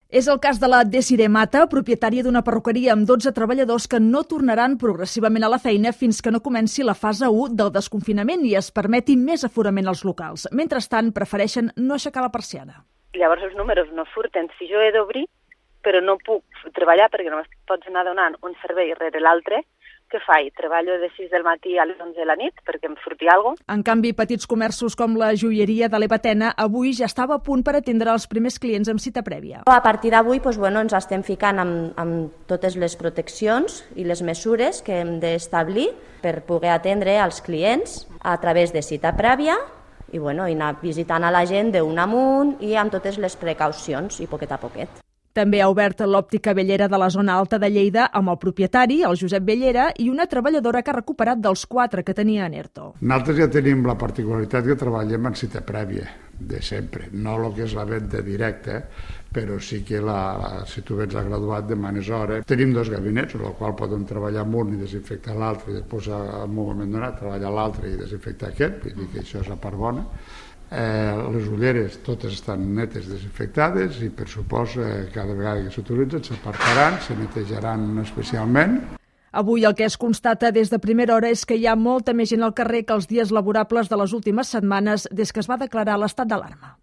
És el cas de la Desiree Mata, propietària d'una perruqueria amb 12 treballadors que no tornaran progressivament a la feina fins que no comenci la fase 1 del desconfinament i es permeti més aforament als locals. Mentrestant, prefereixen no aixecar la persiana. Llavors els números no surten. Si jo he d'obrir, però no puc treballar perquè només pots anar donant un servei rere l'altre, què faig? Treballo de 6 del matí a les 11 de la nit perquè em surti alguna cosa. En canvi, petits comerços com la joieria de l'Eva Tena avui ja estava a punt per atendre els primers clients amb cita prèvia. A partir d'avui ens estem ficant amb totes les proteccions i les mesures que hem d'establir per poder atendre els clients a través de cita prèvia i anar visitant a la gent d'un amunt i amb totes les precaucions i poquet a poquet. També ha obert l'òptica Bellera de la zona alta de Lleida amb el propietari, el Josep Bellera, i una treballadora que ha recuperat dels 4 que tenia en ERTO. Nosaltres ja tenim la particularitat que treballem en cita prèvia, de sempre. No el que és la venda directa, però sí que si tu vens a graduat demanes hora. Tenim 2 gabinets, en el qual podem treballar amb un i desinfectar l'altre, i després en un moment donat treballar l'altre i desinfectar aquest, vull dir que això és la part bona. Les ulleres totes estan netes, desinfectades i per supost cada vegada que s'utilitzen s'apartaran, se netejaran especialment. Avui el que es constata des de primera hora és que hi ha molta més gent al carrer que els dies laborables de les últimes setmanes des que es va declarar l'estat d'alarma.